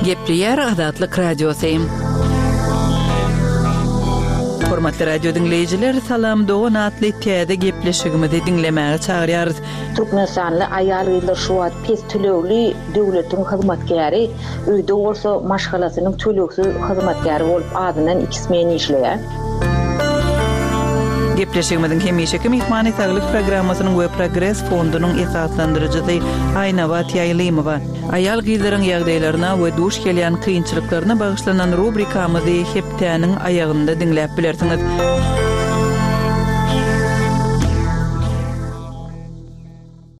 Gepleýär Azatlyk Radiosy. Hormatly radio diňleýjiler, Salam dogan atly täze gepleşigimizi diňlemäge çagyrýarys. Türkmenistanly aýal-gyzlar şu wagt pes tölegli döwletiň hyzmatkäri, öýde bolsa maşgalasynyň tölegsiz hyzmatkäri bolup azyndan iki smen işleýär. Gepleşigimiziň hemişeki myhmany Saglyk programmasynyň we Progres fondunyň esaslandyryjysy Aýnabat Ýaýlymowa. Aýal-gyzlaryň ýagdaýlaryna we duş gelýän kynçylyklaryna bagyşlanan rubrikamyzy hepdäniň aýagynda diňläp bilersiňiz.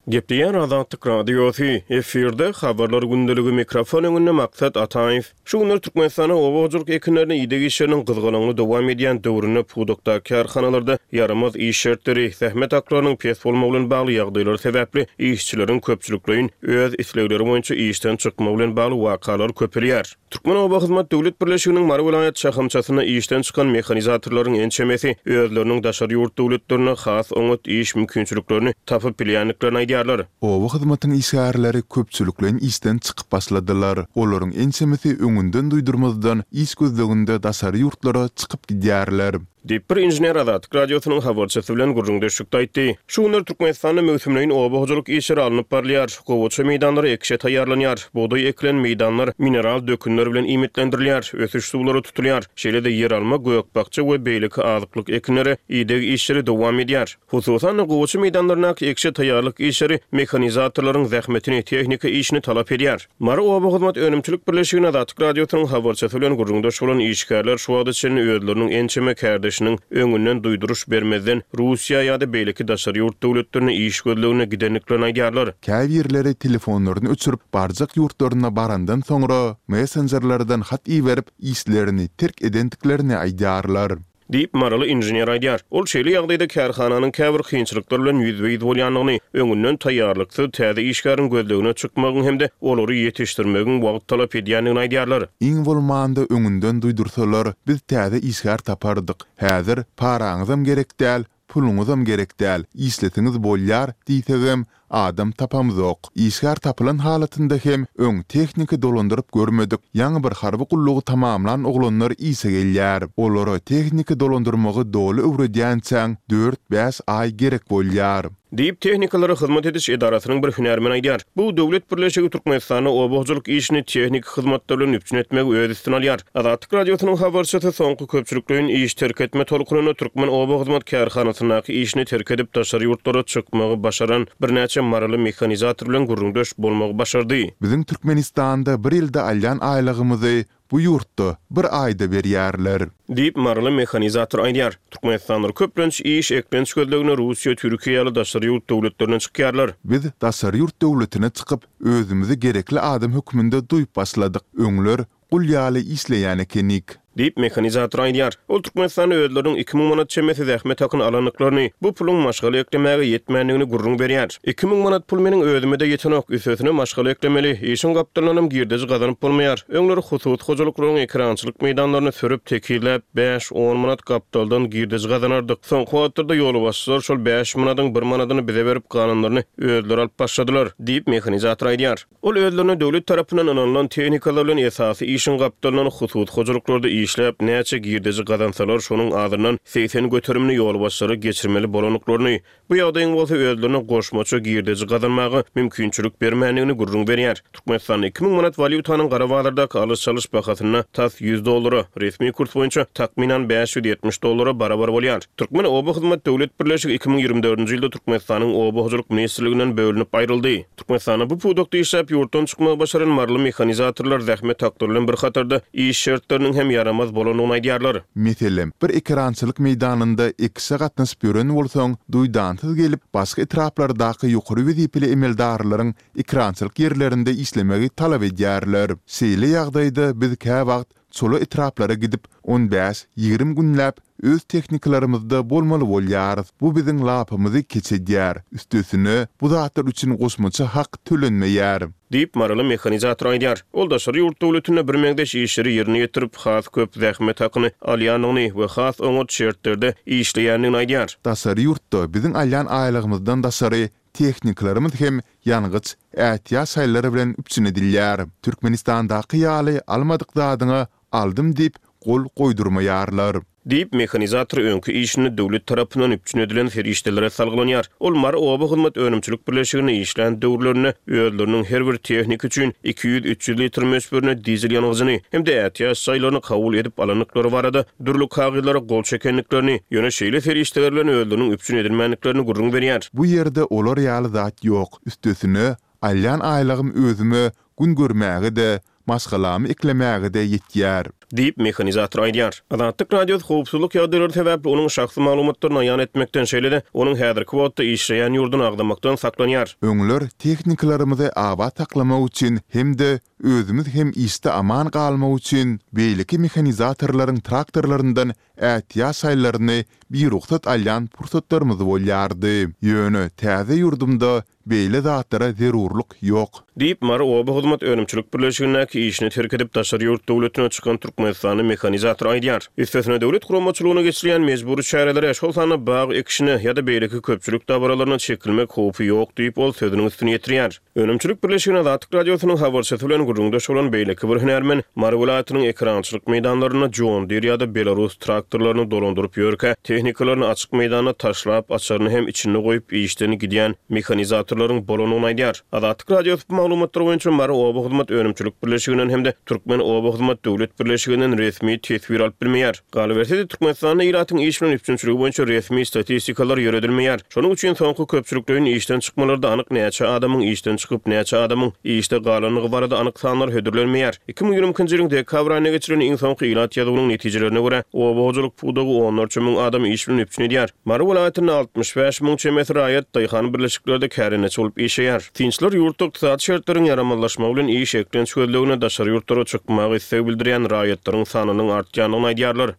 Gepleýär Azatlyk Radiosy, efirde Habarlar gündeligi, mikrofon öňünde Maksat Ataýew. Şu günler Türkmenistanda oba hojalyk ekinlerine ideg işleriniň gyzgalaňly dowam edýän döwründe pudakdaky kärhanalarda ýaramaz iş şertleri, zähmet haklarynyň pes bolmagy bilen bagly ýagdaýlar sebäpli işçileriň köpçülikleýin öz islegleri boýunça işden çykmagy bilen bagly wakalar köpelýär. Türkmenobahyzmat döwlet birleşiginiň Mary welaýat şahamçasynda işden çykan mehanizatorlaryň ençemesi özleriniň daşary ýurt döwletlerinde has oňat iş mümkinçiliklerini tapyp bilýändiklerini aýdýarlar. Oba hyzmatyň işgärleri köpçülikleýin işden çykyp başladylar. Olaryň ençemesi öňünden duýdurmazdan iş gözleginde daşary ýurtlara çykyp gidýärler. Diýip, bir inžener Azatlyk Radiosynyň habarçysy bilen gürrüňdeşlikde aýtdy. Şu günler Türkmenistanda möwsümleýin oba hojalyk işleri alnyp barylýar. Gowaça meýdanlary ekişe taýýarlanýar. Bugdaý ekilen meýdanlar mineral dökünler bilen iýmitlendirilýär, ösüş suwlary tutulýar. Şeýle-de ýeralma, gök-bakja we beýleki azyklyk ekinlere ideg işleri dowam edýär. Hususan-da, gowaça meýdanlaryndaky ekişe taýýarlyk işleri mehanizatorlaryň zähmetini, tehnika işini talap edýär. Mary oba hyzmat önümçilik birleşiginde Azatlyk Radiosynyň habarçysy bilen gürrüňdeş bolan işgärler şu wagta çenli özleriniň ençeme kärdeşiniň öňünden duýduryş bermezden Russiýa ýa-da beýleki daşary ýurt döwletlerine iş gözlegine gidendiklerini aýdýarlar. Käbirleri telefonlaryny öçürip, barjak ýurtlaryna barandan soňra, messenjerlerden hat iberip, işlerini terk edendiklerini aýdýarlar. Diýip, maryly inžener aýdýar. Ol şeýle ýagdaýda kärhananyň käbir kynçylyklar bilen ýüzbe-ýüz bolýandygyny, öňünden taýýarlyksyz täze işgäriň gözlegine çykmagyň hem-de olary ýetişdirmegiň wagt talap edýändigini aýdýarlar. Iň bolmanda öňünden duýdursalar, biz täze işgär tapardyk. Häzir paraňyzam gerek däl, puluňyzam gerek däl, işleseňiz bolýar diýsegem, Adam tapamzok. Işgär tapylan halatynda hem öň tehnika dolandyryp görmedik, ýaňy bir harby gullugy tamamlan oglanlar işe gelýär. Olara tehnika dolandyrmagy doly öwredýänçäň dört-bäş aý gerek bolýar. Diýip, tehnikalara hyzmat ediş edarasynyň bir hünärmeni aýdýar. Bu döwlet birleşigi Türkmenistanda oba hojalyk işini tehniki hyzmatlar bilen üpjün etmegi öz üstüne alýar. Azatlyk Radiosynyň habarçysy soňky köpçülikleýin iş terk etme tolkunynda Türkmen oba hyzmat kärhanasyndaky işini terk edip daşary ýurtlara çykmagy başaran birnäçe maryly mehanizator bilen gürrüňdeş bolmagy başardy. Biziň Türkmenistanda bir ýylda alýan aýlygymyzy bu ýurtda bir aýda berýärler. Diýip, maryly mehanizator aýdýar. Türkmenistanlylar köplenç iş, eklenç gözlegine Russiýa, Türkiýe ýaly daşary ýurt döwletlerine çykýarlar. Biz daşary ýurt döwletine çykyp, özümizi gerekli adam hökmünde duýup başladyk. Öňler Gul ýaly işleýän ekenik. Diýip, mehanizator aýdýar. Ol Türkmenistanda özleriniň 2000 manat çemesi zähmet hakyny alandyklaryny, bu puluň maşgala eklemäge ýetmändigini gürrüň berýär. 2000 manat pul meniň özüme-de ýetenok, üstesine maşgala eklemeli, işiň gapdalyndanam girdeji gazanyp bolmaýar. Öňler hususy hojalyklaryň ekerançylyk meýdanlaryny sürüp, tekizläp, bäş-on manat gapdaldan girdeji gazanardyk. Soňky wagtlarda ýolbaşçylar şol bäş manadyň bir manadyny bize berip, galanlaryny özleri alyp başladylar, diýip, mehanizator aýdýar. Ol özlerine döwlet tarapyndan ynanylan tehnikalar bilen esasy işiň gapdalyndan hususy hojalyklarda işläp, näçe girdeji gazansalar, şonuň azyndan 80 göterimini ýolbaşçylara geçirmeli bolandyklaryny, bu ýagdaýyň bolsa özlerine goşmaça girdeji gazanmaga mümkinçilik bermändigini gürrüň berýär. Türkmenistanda 2000 manat walýutanyň gara bazardaky alyş-çalyş bahasynda tas 100 dollara, resmi kurs boýunça takmynan 570 dollara barabar bolýar. Türkmen oba hyzmat döwlet birleşigi 2024-nji ýylda Türkmenistanyň Oba hojalyk ministrliginden bölünip aýryldy. Türkmenistanda bu pudakda işläp, ýurtdan çykmagy başaran maryly mehanizatorlar zähmet haklary bilen bir hatarda, iş şertleriniň hem ýaramaz bolandygyny aýdýarlar. Meselem, bir ekerançylyk meýdanynda ekişe gatnaşyp ýören bolsaň, duýdansyz gelip, başga etraplardaky ýokary wezipeli emeldarlaryň ekerançylyk ýerlerinde işlemegi talap edýärler. Şeýle ýagdaýda biz käwagt çola etraplara gidip, on bäş, 20 günläp öz tehnikalarymyzda bolmaly bolýarys. Bu biziň lapymyzy keç edýär. Üstesine, bu zatlar üçin goşmaça hak tölenmeýär. Diýip, maryly mehanizator aýdýar. Ol daşary ýurt döwletinde birmeňzeş işleri ýerine ýetirip, has köp zähmet hakyny alýandygyny we has oňat şertlerde işleýändigini aýdýar. Daşary ýurtda biziň alýan aýlygymyzdan daşary. Tehnikalarymyz hem ýangyç, ätiýaç şaýlary bilen üpjün edilýär. Türkmenistandaky ýaly almadyk zadyňa aldym diýip gol goýdurmaýarlar. Diýip, mehanizator öňki işinde döwlet tarapyndan üpjün edilen serişdelere salgylanýar. Ol Mary oba hyzmat önümçilik birleşiginde işlän döwürlerinde özleriniň her bir tehnika üçin 200-300 litr möçberinde dizel ýangyjyny hem-de ätiýaç jaýlaryny kabul edip alandyklary barada dürli kagyzlara gol çekendiklerini, ýöne şeýle serişdeler bilen özleriniň üpjün edilmändiklerini gürrüň berýär. Bu ýerde olar ýaly zat ýok. Üstesine, alýan aýlygym özüme gün görmäge-de, maşgalamy eklemäge-de ýetýär. Diýip, mehanizator aýdýar. Azatlyk Radiosy howpsuzlyk ýagdaýlary sebäpli onuň şahsy maglumatlaryny aýan etmekden, şeýle-de onuň häzirki wagtda işleýän ýurduny agzamakdan saklanýar. Öňler tehnikalarymyzy abat saklamak üçin hem-de özümiz hem işde aman galmak üçin beýleki mehanizatorlaryň traktorlaryndan ätiýaç şaýlaryny birugsat alýan pursatlarymyz bolýardy. Ýöne täze ýurdumda Beýle zatlara zerurlyk ýok. Diýip, Mary oba hyzmat önümçilik birleşigindäki işini terk edip, daşary ýurt döwletine çykan türkmenistanly mehanizator aýdýar. Üstesine, döwlet guramaçylygynda geçirilýän mejbury çärelere, şol sanda bag ekişine ýa-da beýleki köpçülik dabaralaryna çekilmek howpy ýok diýip, ol sözüniň üstüni ýetirýär. Önümçilik birleşigine Azatlyk Radiosynyň habarçysy bilen gürrüňdeş bolan beýleki bir hünärmen Mary welaýatynyň ekerançylyk meýdanlarynda John Deere ýa-da Belarus traktorlaryny dolandyryp ýörkä, tehnikalaryny açyk meýdanda taşlap, açaryny hem içinde goýup işden gidýän mehanizatorlaryň bolandygyny aýdýar. Azatlyk Radiosy bu maglumatlar boýunça Mary oba hyzmat önümçilik birleşiginden hem-de Türkmen oba hyzmat döwlet birleşiginden resmi teswir alyp bilmeýär. Galyberse-de, Türkmenistanda ilatyň iş bilen üpjünçiligi boýunça resmi statistikalar ýöredilmeýär. Şonuň üçin soňky köpçülikleýin işden çykmalarda anyk näçe adamyň işden çykyp, näçe adamyň işde galandygy barada anyk sanlar hödürlenmeýär. 2022-nji ýylyň dekabr aýynda geçirilen iň soňky ilat ýazuwynyň netijelerine görä, oba hojalyk pudagy onlarça müň adamy iş bilen üpjün edýär. Mary welaýatynda 65 müň çemesi raýat daýhan birleşiklerde kärendeçi bolup işleýär. Synçylar ýurtda ykdysady şertleriň ýaramazlaşmagy bilen iş eklenç gözlegine daşary ýurtlara çykmaga isleg bildirýän raýatlaryň sanynyň artýandygyny aýdýarlar.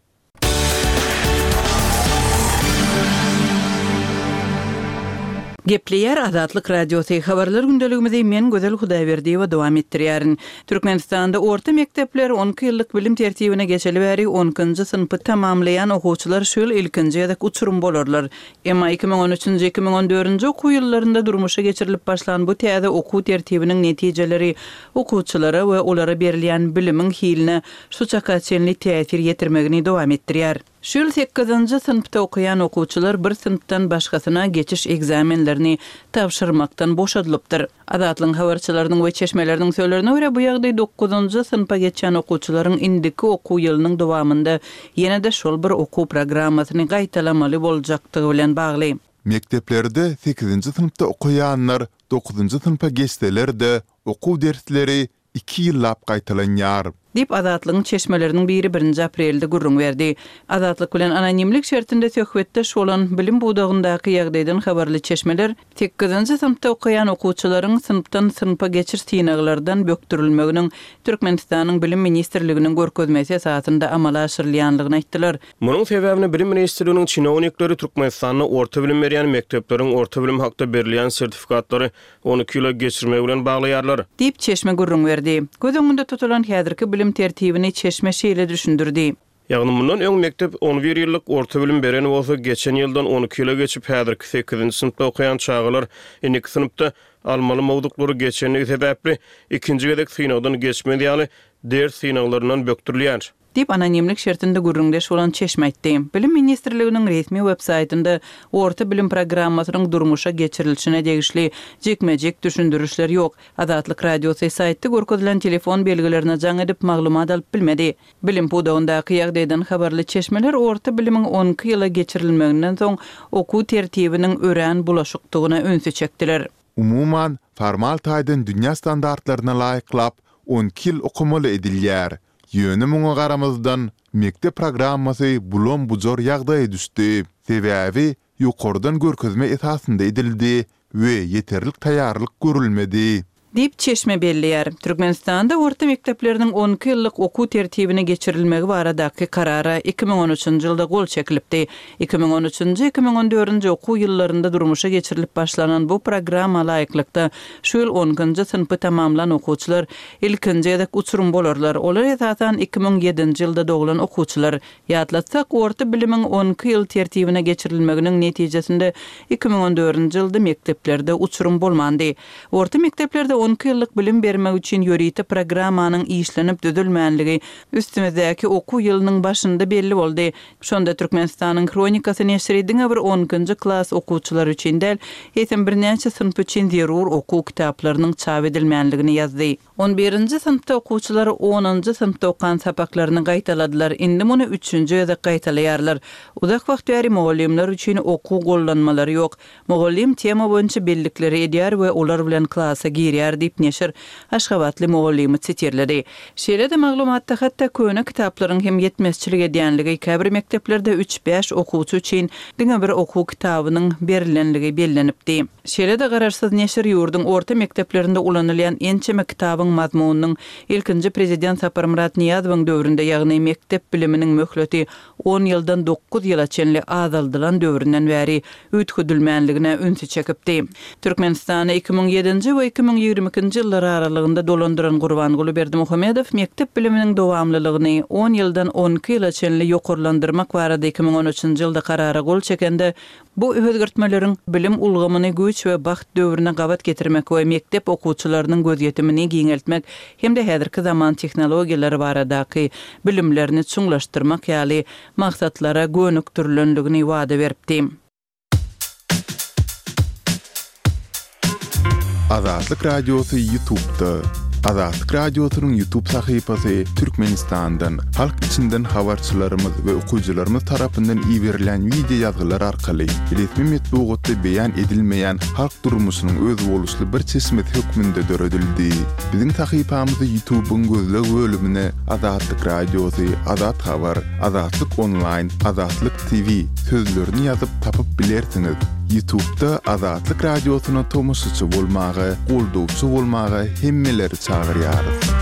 Gepleýär Azatlyk Radiosy, Habarlar gündeligimizi men Gözel Hudaýberdiýewa dowam etdirýärin. Türkmenistanda orta mekdepler on iki ýyllyk bilim tertibine geçeli bäri on ikinji synpy tamamlaýan okuwçylar şu ýyl ilkinji gezek uçurym bolarlar. Emma 2013-nji, 2014-nji okuw ýyllarynda durmuşa geçirilip başlan bu täze okuw tertibiniň netijeleri okuwçylara we olara berilýän bilimiň hiline şu çaka çenli täsir ýetirmegini dowam etdirýär. Şu ýyl sekizinji synpda okaýan okuwçylar bir synpdan başgasyna geçiş ekzamenlerini tabşyrmakdan boşadylypdyr. Azatlygyň habarçylarynyň we çeşmeleriniň sözlerine görä, bu ýagdaý dokuzynjy synpa geçýän okuwçylaryň indiki okuw ýylynyň dowamynda ýene-de şol bir okuw programmasyny gaýtalamaly boljakdygy bilen bagly. Mekdeplerde sekizinji synpda okaýanlar dokuzynjy synpa geçseler-de, okuw dersleri iki ýyllap gaýtalanýar. Diýip, Azatlygyň çeşmeleriniň biri birinji aprelde gürrüň berdi. Azatlyk bilen anonimlik şertinde söhbetdeş bolan, bilim pudagyndaky ýagdaýdan habarly çeşmeler sekizinji synpda okaýan okuwçylaryň synpdan synpa geçiş synaglardan bökdürilmeginiň Türkmenistanyň Bilim ministrliginiň görkezmesi esasynda amala aşyrylýanlygyny aýtdylar. Munuň sebäbini Bilim ministrliginiň çinownikleri Türkmenistanda orta bilim berýän mekdepleriň orta bilim hakda berilýän sertifikatlary 12 ýyla geçirmegi bilen baglaýarlar. Diýip, çeşme gürrüň berdi. Göz öňünde tutulan häzirki bilim tertibini çeşme şeýle düşündirdi. Ýagny mundan öň mekdep on bir ýyllyk orta bilim beren bolsa, geçen ýyldan 12 ýyla geçip, häzirki sekizinji synpda okaýan çagalar indiki synpda almaly mowzuklary geçendigi sebäpli, ikinji gezek synagdan geçmez ýaly ders synaglaryndan bökdürilýär. Diýip, anonimlik şertinde gürrüňdeş bolan çeşme aýtdy. Bilim ministrliginiň resmi web-saýtynda orta bilim programmasynyň durmuşa geçirilişine degişli jikme-jik düşündirişler ýok. Azatlyk Radiosy saýtda görkezilen telefon belgilerine jaň edip, maglumat alyp bilmedi. Bilim pudagyndaky ýagdaýdan habarly çeşmeler orta bilimiň on iki ýyla geçirilmeginden soň okuw tertibiniň örän bulaşykdygyna ünsi çekdiler. Umuman, formal taýdan dünýä standartlaryna laýyklap, on iki ýyl okamaly edilýär. Ýöne muňa garamazdan, mekdep programmasy bulam-bujar ýagdaýa düşdi. Sebäbi ýokardan görkezme esasynda edildi we ýeterlik taýýarlyk görülmedi. Diýip, çeşme belleýär. Türkmenistanda orta mekdepleriniň on iki ýyllyk okuw tertibine geçirilmegi baradaky Karara 2013-nji ýylda gol çekilipdi. 2013-nji, 2014-nji okuw ýyllarynda durmuşa geçirilip başlanan bu programma laýyklykda, şu ýyl on ikinji synpy tamamlan okuwçylar ilkinji gezek uçurym bolarlar. Olar esasan 2007-nji ýylda doglan okuwçylar. Ýatlatsak, orta bilimiň on iki ýyl tertibine geçirilmeginiň netijesinde 2014-nji ýylda mekdeplerde uçurym bolmandy. Orta mekdeplerde on iki ýyllyk bilim bermek üçin ýörite programmanyň işlenip düzülmänligi üstümizdäki okuw ýylynyň başynda belli boldy. Şonda Türkmenistanyň Hronikasy neşiri diňe bir on ikinji klas okuwçylary üçin däl, eýsem birnäçe synp üçin zerur okuw kitaplarynyň çap edilmänligini ýazdy. On birinji synpda okuwçylar onunjy synpda okan sapaklaryny gaýtaladylar, indi muny üçünji gezek gaýtalaýarlar. Uzak wagt bäri mugallymlar üçin okuw gollanmalary ýok. Mugallym tema boýunça bellikleri edýär we olar bilen klasa girýär diýip, neşir aşgabatly mugallymy sitirledi. Şeýle-de maglumatda hatda köne kitaplaryň hem ýetmezçilik edýänligi, käbir mekdeplerde üç-bäş okuwçy üçin diňe bir okuw kitabynyň berilenligi bellenipdi. Şeýle-de garaşsyz neşir ýurduň orta mekdeplerinde ulanylýan ençeme kitabyň mazmunynyň ilkinji prezident Saparmyrat Nyýazowyň döwründe, ýagny mekdep biliminiň möhleti on ýyldan dokuz ýyla çenli azaldylan döwründen bäri üýtgedilmänligine ünsi çekipdi. Türkmenistany 2007-nji we 2022-nji ýyllar aralygynda dolandyran Gurbanguly Berdimuhamedow mekdep biliminiň dowamlylygyny on ýyldan 12 ýyla çenli ýokarlandyrmak barada 2013-nji ýylda karara gol çekende, Bu özgertmeleriň bilim ulgamyny güýç we bagt döwrüne gabat getirmek we mekdep okuwçylarynyň gözýetimini giňeltmek hem-de häzirki zaman tehnologiýalary baradaky bilimlerini çuňlaşdyrmak ýaly maksatlara gönükdirilendigini wada beripdi. Azatlyk Radiosy Ýutubda. Azatlyk Radiosynyň Ýutub sahypasy Türkmenistandan, halk içinden habarçylarymyz we okyjylarymyz tarapyndan iberilen wideo ýazgylar arkaly resmi metbugatda beýan edilmeýän halk durmuşynyň özboluşly bir çeşmesi hökmünde döredildi. Biziň sahypamyzy Ýutubyň gözleg bölümine Azatlyk Radiosy, Azat Habar, Azatlyk Onlaýn, Azatlyk TV sözlerini ýazyp tapyp bilersiňiz. Ýutubda Azatlyk Radiosyna tomaşaçy bolmaga, goldawçy bolmaga hemmeleri çagyrýarys.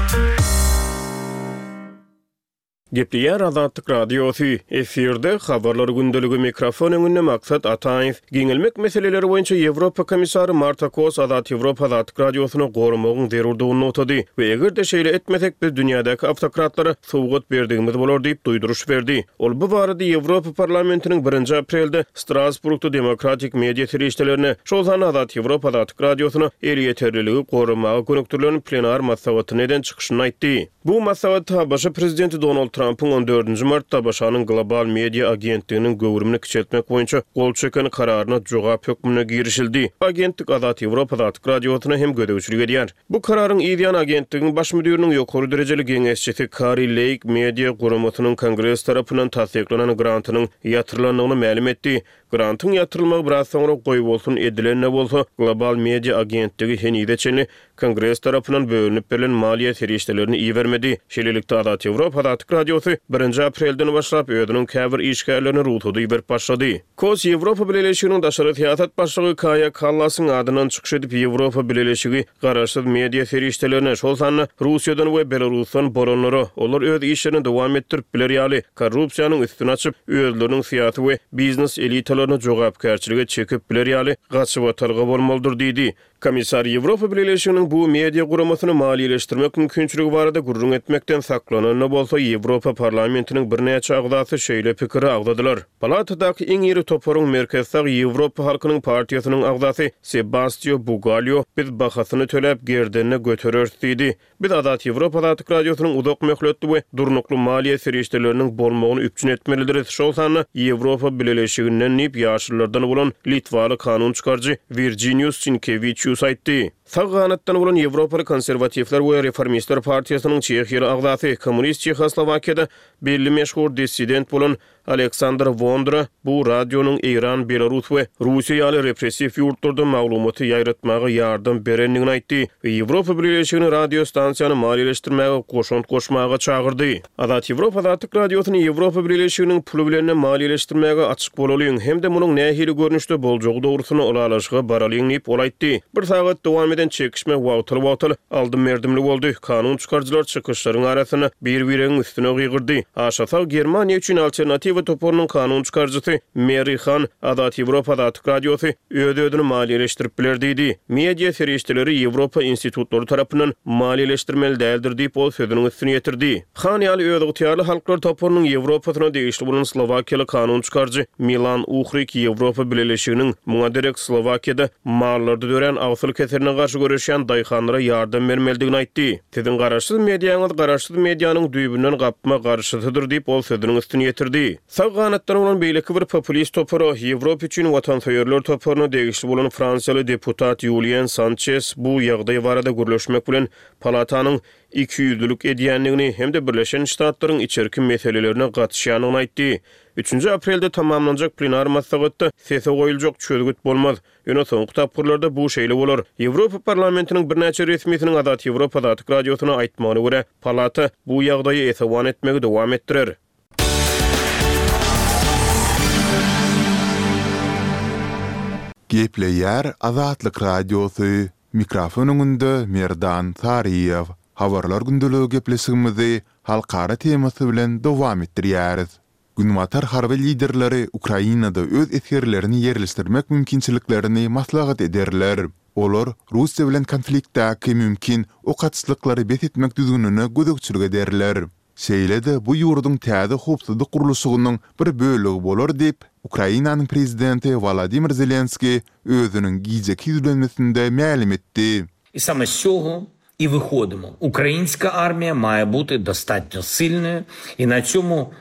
Gepleýär Azatlyk Radiosy, efirde, Habarlar gündeligi, mikrofon öňünde Maksat Ataýew. Giňelmek meseleleri boýunça Ýewropa komissary Marta Kos Azat Ýewropa Azatlyk Radiosyny goramagyň zerurdygyny nygtady we eger-de şeýle etmesek biz dünýädäki awtokratlara sowgat berdigimiz bolar diýip duýduryş berdi. Ol bu barada Ýewropa Parlamentiniň birinji aprelde Strasburgda demokratik media serişdelerine, şol sanda Azat Ýewropa Azatlyk Radiosyna elýeterliligi goramaga gönükdirilen plenar maslahatynda eden çykyşynda aýtdy. Bu maslahatda ABŞ prezidenti Donald Trampyň on dördünji martda ABŞ-nyň Global Media agentliginiň göwrümini kiçeltmek boýunça gol çeken kararyna jogap hökmünde girişildi. Agentlik Azat Ýewropa Azatlyk Radiosyna hem gözegçilik edýär. Bu kararyň yzýany agentligiň baş müdiriniň ýokary derejeli geňeşçisi Kari Leýk media guramasynyň Kongres tarapyndan tassyklanan grantynyň ýatyrylandygyny mälim etdi. Grantyň ýatyrylmagy biraz soňra goýbolsun edilen-de bolsa, Global Media agentligi henize çenli Kongres tarapyndan bölünip berlen maliýe serişdelerini ibermedi. Şeýlelikde, Azat Ýewropa Azatlyk Radiosy birinji aprelden başlap özüniň käbir işgärlerine rugsady iberip başlady. Kos Ýewropa Bileleşiginiň daşary syýasat başlygy Kaýa Kallasyň adyndan çykyş edip, Ýewropa Bileleşigi garaşsyz media serişdelerine, şol sanda Russiýadan we Belarusdan bolanlara, olar öz işlerini dowam etdirip biler ýaly, korrupsiýanyň üstüni açyp, özleriniň syýasy we biznes elitalaryny jogapkärçilige çekip biler ýaly gaçybatalga bolmalydyr diýdi. Komissar Ýewropa Bileleşiginiň bu media guramasyny maliýeleşdirmek mümkinçiligi barada gürrüň etmekden saklanan-da bolsa, Ýewropa Parlamentiniň birnäçe agzasy şeýle pikiri agzadylar. Palatadaky iň iri toparyň merkezi sag Ýewropa halkynyň partiýasynyň agzasy Sebastio Bugalýo biz bahasyny töläp gerdende götereris diýdi. Biz Azat Ýewropa Azatlyk Radiosynyň uzak möhletli we durnukly maliýe serişdeleriniň bolmagyny üpjün etmelidiris, şol sanda Ýewropa Bileleşiginden diýip, ýaşyllardan bolan litwaly kanun çykaryjy Wirjinius Sinkewiçius aýtdy. Sag ganatdan bolan Ýewropaly konserwatiwler we reformistler partiýasynyň çehiýaly agzasy, kommunist Çehoslowakiýada belli meşhur dissident bolan Aleksandr Wondra bu radionyň Eýran, Belarus we Russiýa ýaly repressiw ýurtlarda maglumaty ýaýratmaga ýardam berendigini aýtdy we Ýewropa Bileleşigini radio stansiýany maliýeleşdirmäge goşant goşmaga çagyrdy. Azat Ýewropa Azatlyk Radiosyny Ýewropa Bileleşiginiň puly bilen-de maliýeleşdirmäge açyk bolalyň hem-de munuň nähili görnüşde boljagy dogrusynda ylalaşyga baralyň diýip, ol aýtdy. Bir sagat dowam eden. eden çekişme wagtal-wagtal aldym-berdimli boldy, kanun çykaryjylar çykyşlaryň arasynda bir-biregiň üstüne gygyrdy. Aşa sag Germaniýa üçin Alternatiwa toparynyň kanun çykaryjysy Meri Han, Azat Ýewropa Azatlyk Radiosy öz-özüni maliýeleşdirip biler diýdi. Media serişdeleri Ýewropa institutlary tarapyndan maliýeleşdirmeli däldir diýip, ol sözüniň üstüni ýetirdi. Han ýaly özygtyýarly halklar toparynyň Ýewropasyna degişli bolan slowakiýaly kanun çykaryjy Milan Uhrik Ýewropa Bileleşiginiň muňa derek Slowakiýada mallarda dörän agsyl keseline garşy göreşýän daýhanlara ýardam bermelidigini aýtdy. Siziň garaşsyz mediaňyz garaşsyz medianyň düýbünden gapma-garşysydyr diýip, ol sözüniň üstüni ýetirdi. Sag ganatdan bolan beýleki bir populist topara, Ýewropa üçin watansöýerler toparyna degişli bolan fransiýaly deputat Ýulýen Sançes bu ýagdaý barada gürleşmek bilen palatanyň ikiýüzlülik edýändigini hem-de Birleşen Ştatlaryň içerki meselelerine gatyşýandygyny aýtdy. Üçünji aprelde tamamlanjak plenar maslahatda sese goýuljak çözgüt bolmaz. Ýöne soňky tapgyrlarda bu şeýle bolar. Ýewropa Parlamentiniň birnäçe resmisiniň Azat Ýewropa Azatlyk Radiosyna aýtmagyna görä, palata bu ýagdaýa esewan etmegi dowam etdirer. Gepleýär Azatlyk Radiosy, Mikrofon öňünde Merdan Saryýew. Habarlar gündeligi gepleşigimizi halkara temasy bilen dowam etdirýäris. Günbatar harby liderleri Ukrainada öz esgerlerini ýerleşdirmek mümkinçiliklerini maslahat ederler. Olar Russiýa bilen konfliktdäki mümkin ok atyşlyklary bes etmek düzgünine gözegçilik ederler. Şeýle-de bu ýurduň täze howpsuzlyk gurluşygynyň bir bölegi bolar diýip, Ukrainanyň prezidenti Wolodymyr Zelenskiý özüniň gijeki ýüzlenmesinde mälim etdi. I same z цього і виходимо. Українська армія має бути достатньо сильною, і на цьому,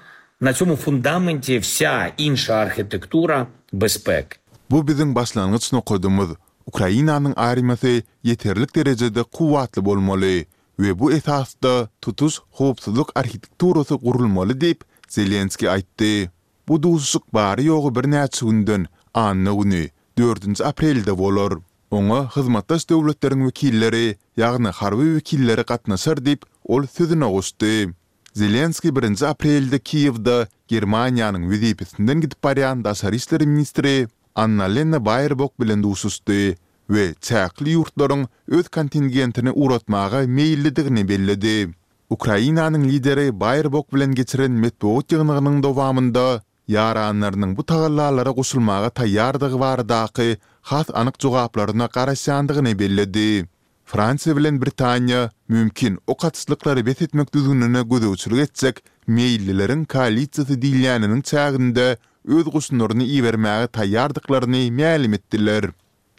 на цьому фундаменті вся інша архітектура безпеки. Bu biziň başlangyç nokadymyz. Ukrainanyň armiýasy ýeterlik derejede kuwwatly bolmaly we bu esasda tutuş howpsuzlyk arhitekturasy gurulmaly diýip, Zelenskiý aýtdy. Bu duşuşyk bary-ýogy birnäçe günden, anna güni, dördünji aprelde bolar. Oňa hyzmatdaş döwletleriň wekilleri, ýagny harby wekilleri gatnaşar diýip, ol sözüne goşdy. Zelenskiý birinji aprelde Kiýewde Germaniýanyň wezipesinden gidip barýan daşary işler ministri Annalena Baerbok bilen duşuşdy we çäkli ýurtlaryň öz kontingentini ugratmaga meýillidigini belledi. Ukrainanyň lideri Baerbok bilen geçiren metbugat ýygnagynyň dowamynda ýaranlarynyň bu tagallalara goşulmaga taýýardygy baradaky has anyk jogaplaryna garaşýandygyny belledi. Fransiýa bilen Britaniýa mümkin ok atyşlyklary bes etmek düzgünine gözegçilik etjek meýillileriň koalisiýasy diýilýäniniň çäginde öz goşunlaryny ibermäge taýýardyklaryny mälim etdiler.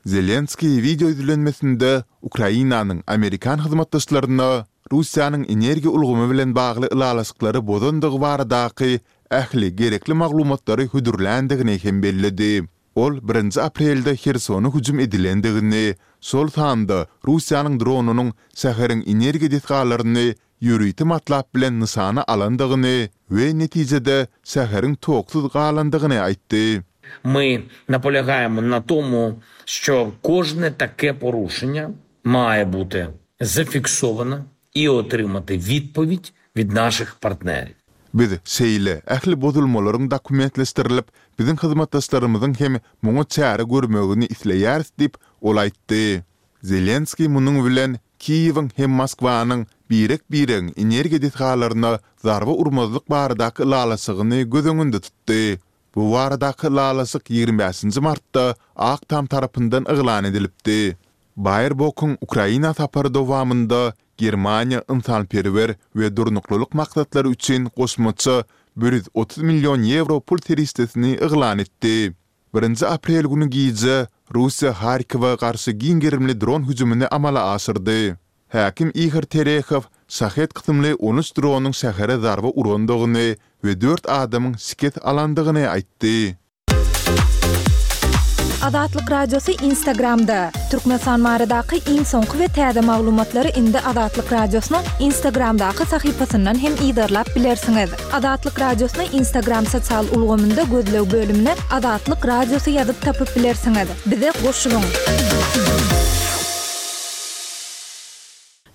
Zelenskiý wideo ýüzlenmesinde Ukrainanyň amerikan hyzmatdaşlaryna Russiýanyň energiýa ulgamy bilen bagly ylalaşyklary bozandygy baradaky ähli gerekli maglumatlary hödürländigini hem belledi. Ol birinji aprelde Hersona hüjüm edilendigini, şol sanda Russiýanyň dronynyň şäheriň energiýa desgalaryny ýörite matlap bilen nyşana alandygyny we netijede şäheriň toksuz galandygyny aýtdy. My napolegaýemo na tomu, şço kožne take poruşenýa maýe bute zafiksowano i otrymati widpowid wid naših partneriw. Biz şeýle ähli bozulmalaryň dokumentleşdirilip, biziň hyzmatdaşlarymyzyň hem muňa çäre görmegini isleýäris diýip, ol aýtdy. Zelenskiý munuň bilen Kiýewiň hem Moskwanyň birek-biregiň energiýa desgalaryna zarba urmazlyk baradaky ylalaşygyny göz öňünde tutdy. Bu baradaky ylalaşyk 25 nji martda Ak Tam tarapyndan yglan edilipdi. Baerbokyň Ukraina sapary dowamynda Germaniýa ynsanperwer we durnuklylyk maksatlary üçin goşmaça 130 million ýewro pul serişdesini yglan etdi. Birinji aprel güni gije Russiýa Harkowa garşy giň gerimli dron hüjümini amala aşyrdy. Häkim Ihor Terehow Şahed kysymly 13 dronyň şähere zarba urandygyny we dört adamyň şikes alandygyny aýtdy. Azatlyk Radiosy Instagramda, Türkmenistan baradaky iň soňky we täze maglumatlary indi Azatlyk Radiosynyň Instagramdaky sahypasyndan hem yzarlap bilersiňiz. Azatlyk Radiosyny Instagram sosial ulgamynda gözleg bölümine Azatlyk Radiosy ýazyp tapyp bilersiňiz. Bize goşulyň!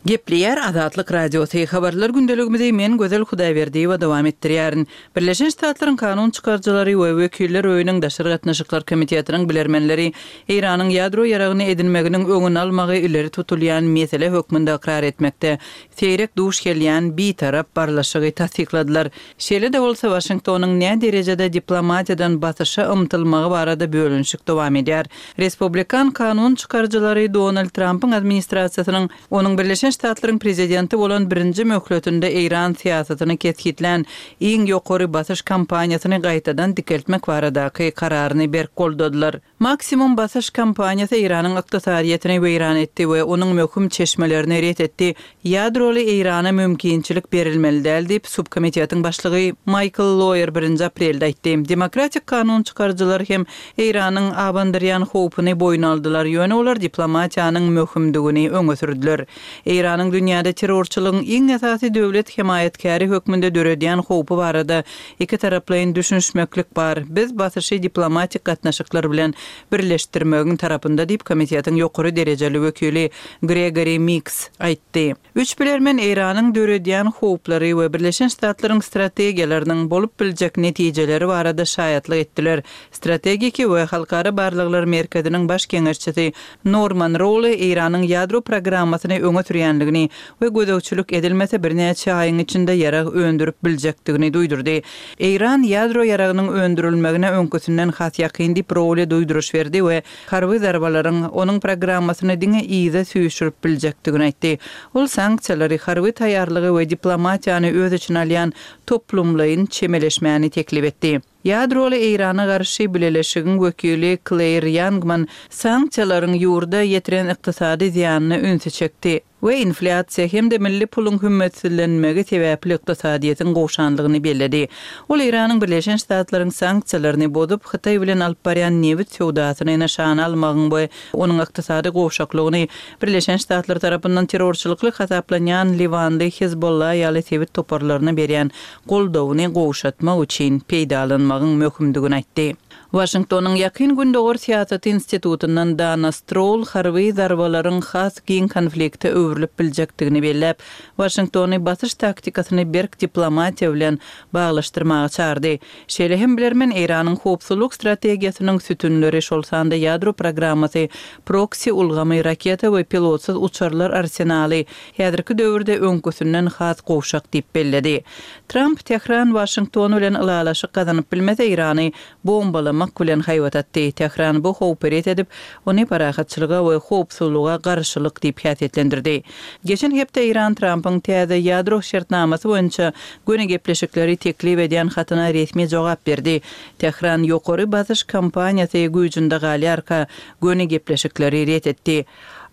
Gepleýär Azatlyk Radiosy, Habarlar gündeligimizi men Gözel Hudaýberdiýewa dowam etdirýärin. Birleşen Ştatlaryň kanun çykaryjylary we Wekiller öýüniň daşary gatnaşyklar komitetiniň bilermenleri Eýranyň ýadro ýaragyny edinmeginiň öňüni almagy ileri tutulýan mesele hökmünde ykrar etmekde seýrek duş gelýän bitarap barlyşygy tassykladylar. Şeýle-de bolsa, Waşingtonyň näderejede diplomatiýadan basyşa ymtylmagy barada bölünişik dowam edýär. Respublikan kanun çykaryjylary Donald Trampyň administrasiýasynyň onuň Birleşen Ştatlaryň prezidenti bolan birinji möhletinde Eýran syýasatyny kesgitlän iň ýokary basyş kampaniýasyny gaýtadan dikeltmek baradaky kararyny berk goldadylar. Maksimum basyş kampaniýasy Eýranyň ykdysadyýetini weýran etdi we onuň möhüm çeşmelerini ret etdi. Ýadroly Eýrana mümkinçilik berilmeli däl diýip, subkomitetiň başlygy Maýkl Loýer birinji aprelde aýtdy. Demokratik kanun çykaryjylar hem Eýranyň abandyrýan howpuny boýun aldylar, ýöne olar diplomatiýanyň möhümdigini öňe sürdüler. Eýranyň dünýäde terrorçylygyň iň esasy döwlet hemaýatkäri hökmünde döredýän howpy barada Ikitaraplaýyn düşünişmeklik bar. Biz basyşy diplomatik gatnaşyklar bilen birleşdirmegiň tarapynda diýip, komitetiň ýokary derejeli wekili Gregori Miks aýtdy. Üç bilermen Eýranyň döredýän howplary we Birleşen Ştatlaryň strategiýalarynyň bolup biljek netijeleri barada şaýatlyk etdiler. Strategiki we halkara barlaglar merkeziniň baş geňeşçisi Norman Rouli Eýranyň ýadro programmasyny öňe sürýänligini we gözegçilik edilmese birnäçe aýyň içinde ýarag öndürip biljekdigini duýdurdy. Eýran ýadro ýaragynyň öndürilmegine öňküsinden has ýakyn diýip Rouli duýduryş berdi we harby zarbalaryň onuň programmasyny diňe yza süýşürip biljekdigini aýtdy. Ol sanksiýalary, harby taýýarlygy we diplomatiýany öz içine alýan toplumlaýyn çemeleşmäni teklip etdi. Ýadroly Eýrana garşy bileleşigiň wekili Kleýr Ýangman sanksiýalaryň ýurda ýetiren ykdysady zyýanyna ünsi çekdi we inflýasiýa hem-de milli puluň hümmetsizlenmegi sebäpli ykdysadyýetiň gowşanlygyny belledi. Ol Eýranyň Birleşen Ştatlaryň sanksiýalaryny bozup, Hytaý bilen alyp barýan nebit söwdasyny nyşana almagyň we onuň ykdysady gowşaklygyny Birleşen Ştatlar tarapyndan terrorçylykly hasaplanýan liwanly Hezbollah ýaly sebit toparlaryna berýän goldawyny gowşatmak üçin peýdalanmagyň möhümdigini aýtdy. Waşingtonyň Ýakyn Gündogar syýasaty institutyndan Dana Stroul harby zarbalaryň has giň konflikte öwrülip biljekdigini belläp, Waşingtony basyş taktikasyny berk diplomatiýa bilen baglaşdyrmaga çagyrdy. Şeýle hem bilermen Eýranyň howpsuzlyk strategiýasynyň sütünleri, şol sanda ýadro programmasy, proksi ulgamy, raketa we pilotsyz uçarlar arsenaly, häzirki döwürde öňküsinden has gowşak diýip belledi. Tramp Tähran Waşington bilen ylalaşyk gazanyp bilmese Eýrany bombalamak bilen haýbat atdy. Tähran bu howpy ret edip, ony parahatçylyga we howpsuzlyga garşylyk diýip häsiýetlendirdi. Geçen hepde Eýran Trampyň täze ýadro şertnamasy boýunça göni gepleşikleri teklip edýän hatyna resmi jogap berdi. Tähran ýokary basyş kampaniýasy güýjünde galýarka göni gepleşikleri ret etdi.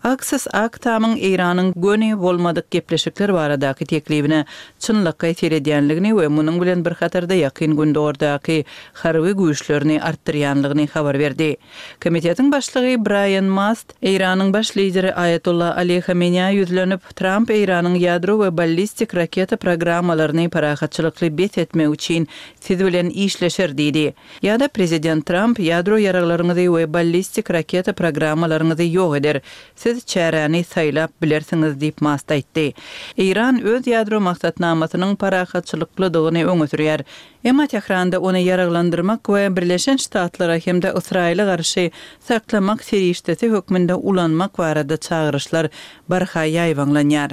Aksios Ak Tamyň Eýranyň göni bolmadyk gepleşikler baradaky teklibine çynlakaý seredýänligini we munuň bilen bir hatarda Ýakyn Gündogardaky harby güýçlerini artdyrýanlygyny habar berdi. Komitetiň başlygy Braýan Mast Eýranyň baş lideri Aýatolla Ali Hameneýä ýüzlenip, Tramp Eýranyň ýadro we ballistik raketa programmalaryny parahatçylykly bes etmek üçin siz bilen işleşer diýdi. Ýa-da prezident Tramp ýadro ýaraglaryňyzy we ballistik raketa programmalaryňyzy ýok eder. Siz çäräni saýlap bilersiňiz diýip Mast aýtdy. Eýran öz ýadro maksatnamasynyň parahatçylyklydygyny öňe sürýär. Emma Tähranda ony ýaraglandyrmak we Birleşen Ştatlara hem-de Ysraýyla garşy saklamak serişdesi hökmünde ulanmak barada çagyryşlar barha ýaýbaňlanýar.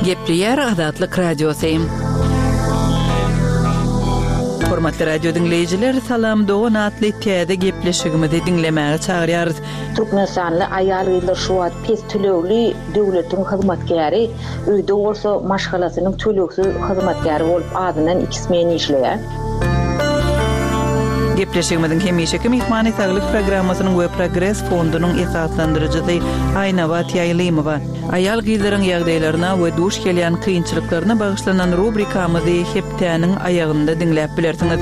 Gepleýär Azatlyk Radiosy. Hormatly radio diňleýjiler, Salam dogan atly täze gepleşigimizi diňlemäge çagyrýarys. Türkmenistanly aýal-gyzlar şu wagt pes tölegli döwletiň hyzmatkäri, öýde bolsa maşgalasynyň tölegsiz hyzmatkäri bolup azyndan iki smen işleýär. Gepleşigimiziň hemişeki myhmany Saglyk programmasynyň we Progres fondunyň esaslandyryjysy Aýnabat Ýaýlymowa. Aýal-gyzlaryň ýagdaýlaryna we duş gelýän kynçylyklaryna bagyşlanan rubrikamyzy hepdäniň aýagynda diňläp bilersiňiz.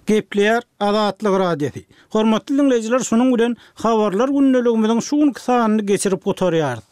Gepleýär Azatlyk Radiosy. Hormatly diňleýjiler şunuň bilen Habarlar gündeligimiziň şu günki sanyny geçirip gutarýarys.